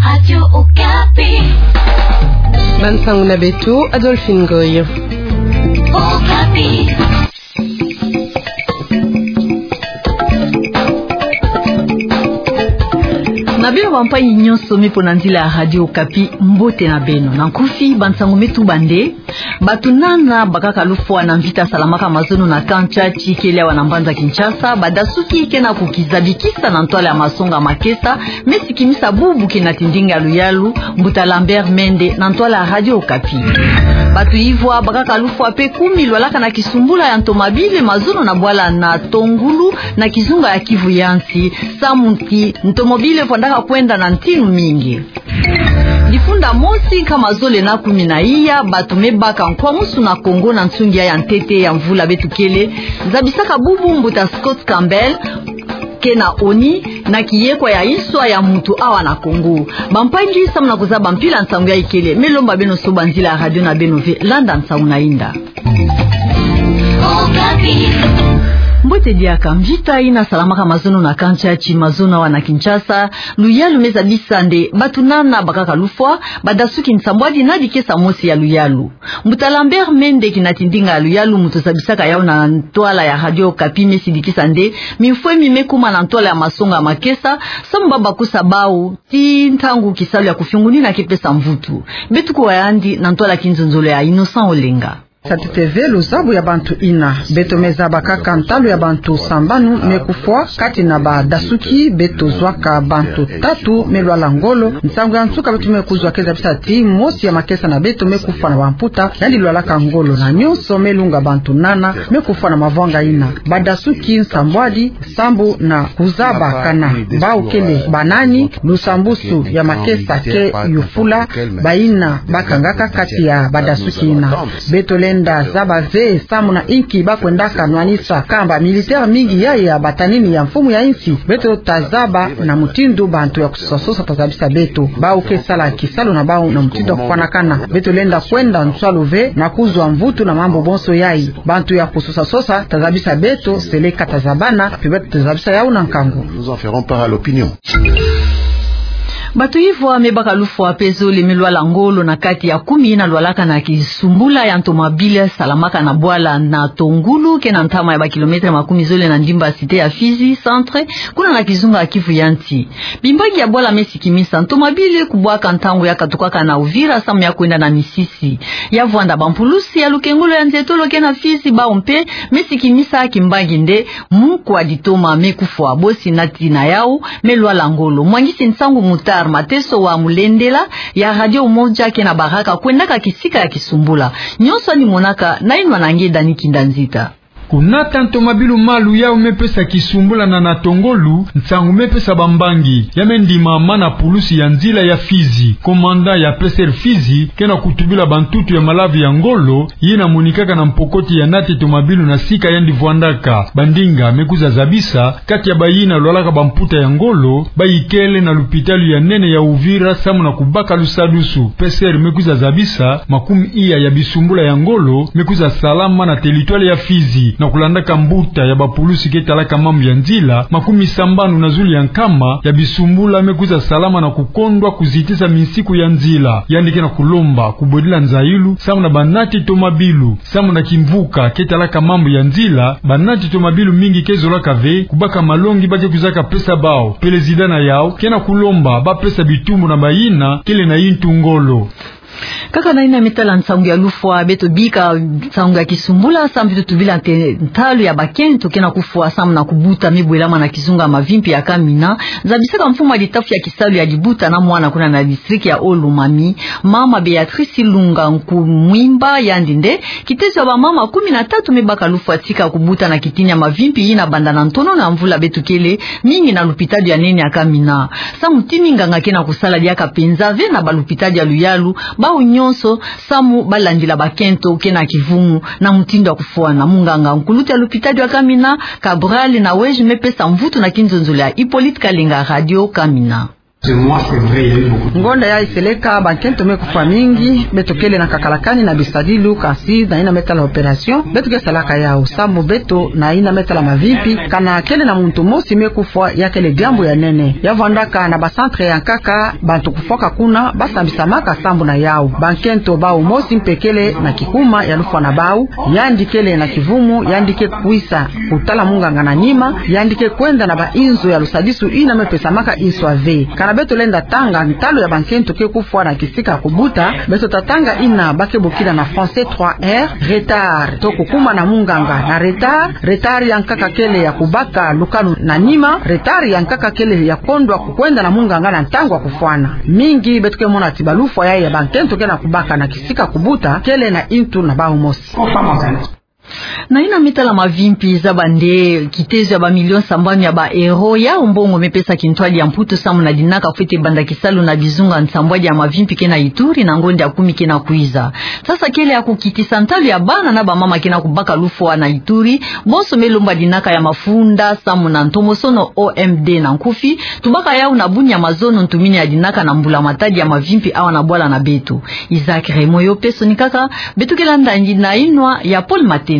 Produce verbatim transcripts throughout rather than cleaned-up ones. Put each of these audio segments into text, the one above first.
Radio Okapi. Bansangu na beto, Adolphine Goy. Okapi. Na beno bampangi nyonso me pona nzila ya Radio Okapi, mbote na beno. Na nkufi, bansangu me tuba nde: Bato nana bakaka lufwa na mvita salamaka mazono na camp Tshatshi kele awa na mbanza Kinshasa, badasuki ke na kukizabikisa na ntwala ya masonga makesa, me sikimisa bubu kina ti ndinga ya luyalu, Mbuta Lambert Mende, na ntwala ya Radio Okapi. Bato ivwa bakaka lufwa pe kumi lwalaka na kisumbula ya ntomabile mazono na bwala na Tongulu, na kizunga ya Kivu ya nsi, samu ti ntomobile vwandaka kwenda na ntinu mingi. Difunda mosi nkama zole na kumi na iya bato me baka nkwamusu na Congo na nsungi ya ntete ya mvula beto kele, zabisaka bubu Mbuta Scott Campbell, ke na ONU, na kiyekwa ya inswa ya muntu awa na Congo. Bampangi, samu na kuzaba mpila nsangu yayi kele, me lomba beno soba nzila ya radio na beno ve, landa nsangu na inda. Mbote diaka. Mvita yina salamaka mazono na camp Tshatshi, mazono awa na Kinshasa, luyalu me zabisa nde bato nana bakaka lufwa, badasuki nsambwadi na dikesa mosi ya luyalu. Mbuta Lambert Mende, kina ti ndinga ya luyalu, muntu zabisaka yawu na ntwala ya Radio Okapi, me sidikisa nde mimfwe mi me kuma na ntwala ya masonga makesa, samu ba bakusa bawu ti ntangu kisalu ya kufiungunina ke pesa mvutu. Beto kuwa yandi na ntwala ya kinzonzolo ya Innocent Olenga. Sa ntete ve luzabu ya bantu yina. Beto me zaba kaka ntalu ya bantu sambanu me kufwa. Kati na badasuki, beto zwaka bantu tatu me lwala ngolo. Nsangu ya nsuka beto me kuzwa ke zabisa ti mosi ya makesa na beto me kufwa na bamputa, yandi lwalaka ngolo. Na nyonso me lunga bantu nana me kufwa na mavwanga yina. Badasuki nsambwadi, sambu na kuzaba kana bawu kele banani, lusambusu ya makesa ke yufula bayina bakangaka kati ya badasuki yina. Beto lenda zaba ve samu na inki bakwendaka nwanisa kamba militaire mingi yayi ya batanini ya mfumu ya insi. Beto tazaba na mutindu bantu ya kusosa-sosa tazabisa beto. Bawu ke sala kisalu na bawu na mutindu ya kufwanakana. Beto lenda kwenda nswalu ve na kuzwa mvutu na mambu bonso yayi. Bantu ya kusosa-sosa tazabisa beto, seleka tazabana, pe beto tazabisa yawu na nkangu. Nous en ferons part à l'opinion. Bato ivwa me baka lufwa pe zole me lwala ngolo na kati ya kumi yina lwalaka na kisumbula ya ntomabile salamaka na bwala na Tongulu, ke na ntama ya bakilometre makumi zole na ndimba cité ya Fizi Centre, kuna na kizunga ya Kivu ya nsi. Bimbangi ya bwala me sikimisa ntomabile kubwaka ntangu ya katukaka na Uvira samu ya kwenda na misisi. Ya vwanda bampulusi ya lukengolo ya nzietolo ke na Fizi, bawu mpe me sikimisa kimbangi nde mukwa ditoma me kufwa, bosi na tina yawu me lwala ngolo. Mwangisi nsangu Mutar Mateso wa Mulendela ya Radio Umoja ke na Baraka kwendaka kisika ya kisumbula. Nyonso yandi monaka na inwa na nge Dani Kinda Nzita. Kunata ntomabilu malu yawu me pesa kisumbula na na Tongulu, nsangu me pesa bambangi. Ya me ndimama na pulusi ya nzila ya Fizi. Komanda ya P S R Fizi ke na kutubila bantutu ya malavu ya ngolo yina monikaka na mpokoti ya nati tomabilu na sika yandi vwandaka. Bandinga me kwiza zabisa, kati ya bayina lwalaka bamputa ya ngolo, bayikele na lupitalu ya nene ya Uvira samu na kubaka lusadusu. P S R me kwiza zabisa, makumi iya ya bisumbula ya ngolo me kwiza salama na teritware ya Fizi, na kulandaka mbuta ya bapulusi ke talaka mambu ya nzila, makumi sambanu na zulu ya nkama ya bisumbula me kwiza salama na kukondwa kuzitisa minsiku ya nzila. Yandi ke na kulomba kubwedila nzayilu samu na banati tomabilu, samu na kimvuka ke talaka mambu ya nzila, banati tomabilu mingi ke zolaka ve kubaka malongi ba ke kwizaka pesa bawu. Pelezida na yawu ke na kulomba ba pesa bitumbu na bayina kele na yintu ngolo. Kaka na yina me tala nsangu ya lufwa, beto bika nsangu ya kisumbula, samu beto tubila nte ntalu ya bakento ke na kufwa samu na kubuta me bwelama na kizunga mavimpi ya Kamina. Zabisaka mfumu ya litafu ya kisalu ya dibuta na mwana kuna na district ya Haut-Lomami, mama Béatrice Lunga Nkumwimba, yandi nde kitezo ya bamama kumi na tatu me baka lufwa tika kubuta na kitini ya mavimpi yina banda na ntonono ya mvula beto kele, mingi na lupitalu ya nene ya Kamina. Samu ti minganga ke na kusala diaka penza ve na balupitalu ya luyalu, bawu nyonso, samu balandila bakento ke na kivumu na mutindu ya kufwana. Munganga nkulutu ya lupitalu ya Kamina, Cabral Naweji, me pesa mvutu na kinzonzolo ya Hippolyte Kalenga, Radio Kamina. Ngonda yayi seleka, bankento me kufwa mingi. Beto kele na kakalakani na bisadilu, kansi na yina me tala opération beto ke salaka yawu, samu beto na yina me tala mavimpi, kana kele na muntu mosi me kufwa, ya kele diambu ya nene. Ya vwandaka na ba centre ya nkaka, bantu kufwaka kuna basambisamaka sambu na yawu. Bankento bawu mosi mpe kele na kikuma ya lufwa na bawu, yandi kele na kivumu, yandi ke kwisa kutala munganga na nima, yandi ke kwenda na ba inzo ya lusadisu yina me pesamaka inswa ve. Kana beto lenda tanga ntalu ya bankento ke kufwa na kisika kubuta, beto ta tanga yina ba ke bokila na français trois R: retard, to kukuma na munganga na retard, retard ya nkaka kele ya kubaka lukanu na nima, retard ya nkaka kele ya kondwa kukwenda na munganga na ntangu ya kufwana. Mingi beto ke mona ti ba lufwa yayi ya bankento ke na kubaka na kisika kubuta kele na yintu na bawu mosi. Na yina me tala mavimpi, zaba nde kitezo ya ba millions sambanu ya ba euros, yawu mbongo me pesa kintwadi ya Mputu samu na dinaka fwete banda kisalu na bizunga nsambwadi ya mavimpi ke na Ituri na ngonda ya kumi ke na kwiza. Sasa kele ya kukitisa ntalu ya bana na bamama ke na kubaka lufwa na Ituri, bonso me lomba dinaka ya mafunda samu na ntomosono O M D na nkufi, tubaka yawu na buni ya mazono ntumini ya dinaka na mbula-matadi ya mavimpi awa na bwala na beto. Isaac Raymond, yo pe sonikaka, beto ke landa yandi na yinwa ya Paul Matendo.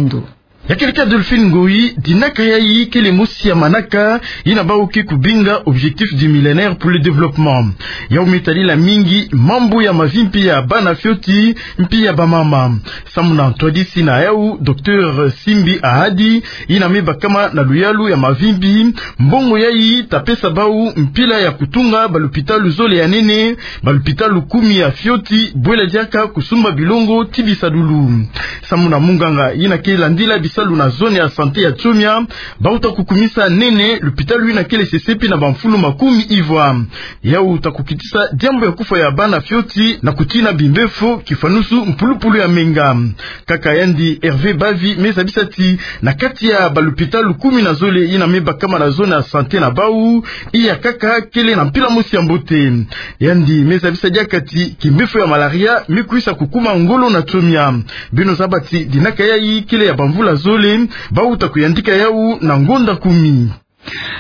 Ya kele ka Delphine Ngoyi, dinaka yayi kele mosi ya manaka yina bawu ke kubinga Objectifs du Millénaire pour le Développement. Yawu me tadila mingi mambu ya mavimpi ya bana fioti mpi ya bamama. Samu na ntwadisi na yawu, Docteur Simbi Ahadi, yina me bakama na luyalu ya mavimpi, mbongo yayi ta pesa bawu mpila ya kutunga ba lupitalu zole ya nene, ba lupitalu kumi ya fioti, bwela diaka kusumba bilongo ti bisadulu. Samu na munganga yina ke landila bisalu na zone ya santé ya Tsomia, bawu ta kukumisa nene lupitalu yina kele sesepi na bamfulu makumi ivwa. Yawu ta kukitisa diambu ya kufwa ya bana fioti na kutina bimbevo, kifwanusu mpulupulu ya menga. Nkaka yandi Hervé Bavi me zabisa ti na kati ya ba lupitalu kumi na zole yina me bakama na zone ya santé na bawu, iya kaka kele na mpila mosi ya mbote. Yandi me zabisa diaka ti kimbevo ya malaria me kwisa kukuma ngolo na Tsomia. Beno zaba ti dinaka yayi kele ya bamvula zole, bawu ta kuyandika yawu na ngonda kumi.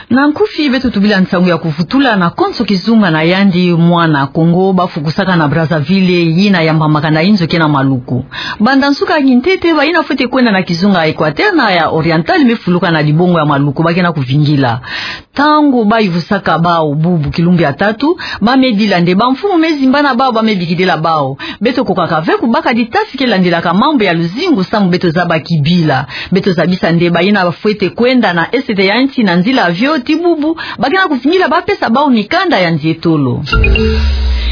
Na nkufi beto tubila nsangu ya kuvutula na konso kizunga na yandi mwana Kongo bafukusaka na Brazzaville, yina yambamaka na inzo ke na Maluku. Banda nsuka ya kintete, bayina fwete kwenda na kizunga ya Équateur na ya Oriental me fuluka na dibongo ya Maluku ba ke na kuvingila. Ntangu bayuvusaka bawu bubu kilumbu ya tatu, ba me dila nde bamfumu me zimba na bawu, ba me bikidila bawu: Beto kokaka ve kubaka ditafi ke landilaka mambu ya luzingu samu beto zaba kibila. Beto zabisa nde bayina bafwete kwenda na esete ya nsi na nzila avion ti bubu, ba ke na kuvingila ba pesa bawu mikanda ya nzietolo.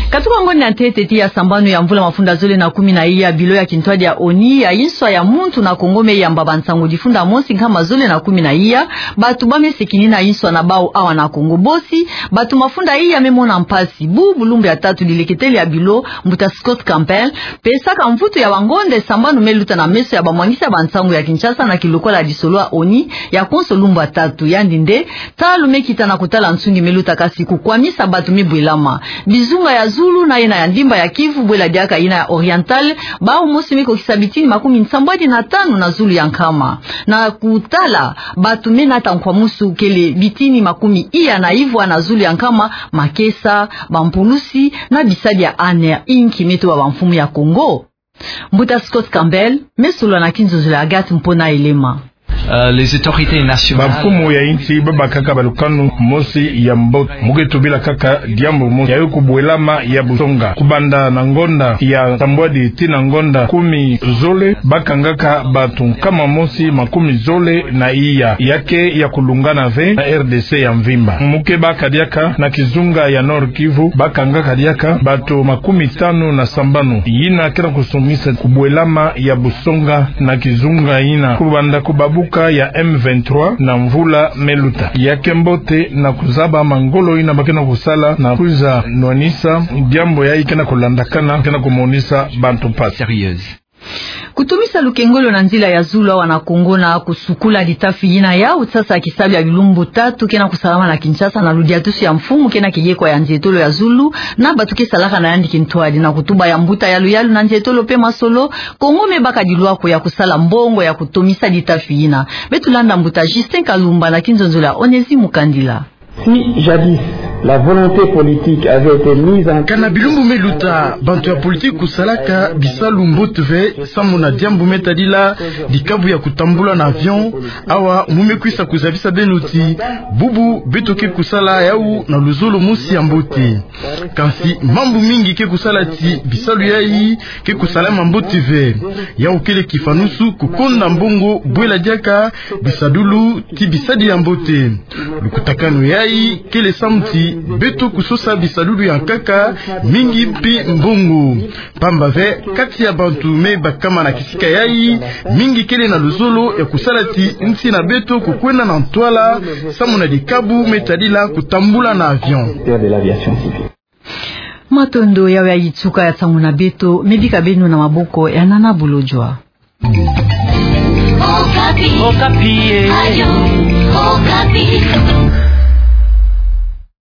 Katuka ngonda ya ntete ti ya sambanu ya mvula mafunda zole na kumi na iya, bilo ya kintwadi ya ONU ya inswa ya muntu na Kongo me yamba bansangu difunda mosi nkama zole na kumi na iya, batu ba me sekini na inswa na bawu awa na Kongo bosi, batu mafunda iya me mona mpasi. Bubu lumbu ya tatu, dileketele ya bilo, mbuta Scott Campbell, pesaka mvutu ya bangonda sambanu me luta na meso ya bamwangisi ya bansangu ya Kinshasa na kilokola ya lisolo ya ONU ya konso lumbu ya tatu. Yandi nde: Ntalu me kita na kutala nsungi me luta, kasi kukwamisa batu me bwelama. Bizunga ya zulu na yina ya ndimba ya Kivu, bwela diaka yina ya Oriental, bawu mosi me kokisa bitini makumi nsambwadi na tanu na zulu ya nkama. Na kutala batu me nata nkwamousu kele bitini makumi iya na ivwa na zulu ya nkama, makesa, bampulusi na bisadi ya ANR, inki me toba bamfumu ya Kongo. Mbuta Scott Campbell me solola na kinzonzolo ya Agathe Mpona Elema. Euh, les autorités nationales. Bamfumu ya insi babakaka balukanu mosi ya mbote. Mu ke tubila kaka diambu mosi, yayi kubwelama ya busonga. Kubanda na ngonda ya nsambwadi tii na ngonda kumi zole, bakangaka batu nkama mosi makumi zole na iya. Ya ke ya kulungana ve na RDC ya mvimba. Mu ke baka diaka na kizunga ya Nord-Kivu, bakangaka diaka batu makumi tanu na sambanu. Yina ke na kusongisa kubwelama ya busonga na kizunga yina, kubanda kubabuka ya M vingt-trois na mvula me luta. Ya ke mbote na kuzaba mangolo yina ba ke na kusala na kwiza nwanisa diambu yayi ke na kulandakana, ke na kumonisa bantu mpasi. Sérieuse. Kutomisa lukengolo na nzila ya zulu awa na Kongo na kusukula ditafi yina, yawu sasa kisalu ya bilumbu tatu ke na kusalama na Kinshasa na ludiatusu ya mfumu ke na kiyekwa ya nzietolo ya zulu na batu ke salaka na yandi kintwadi. Na kutuba ya mbuta ya luyalu na nzietolo pe masolo, Kongo me baka dilwako ya kusala mbongo ya kutomisa ditafi yina. Beto landa mbuta Justin Kalumba na kinzonzolo ya Onésime Mukandila. Si jadis la volonté politique avait été mise en... Kana bilumbu me luta, bantu ya politiki kusalaka bisalu mbote ve, samu na diambu me tadila dikabu ya kutambula na avion. Awa mu me kwisa kuzabisa beno ti bubu beto ke kusala yau na luzolo mosi ya mbote. Kansi mambu mingi ke kusala ti bisalu yayi ke kusala ma mbote ve. Yau kele kifanusu kukonda mbongo bwela diaka bisadulu ti bisadi ya mbote. Lukutakanu yayi kele samu ti beto kusosa bisadulu ya nkaka, mingi mpi mbongo. Pamba ve, kati ya bantu me bakama na kisika yayi, mingi kele na luzolo ya kusala ti nsi na beto kukwenda na ntwala, samu na dikabu me tadila kutambula na avion. Matondo. Yau yayi suka ya nsangu na beto, me bika beno na maboko ya Nana Bolodjwa. Okapi. Okapi, eh. Radio Okapi.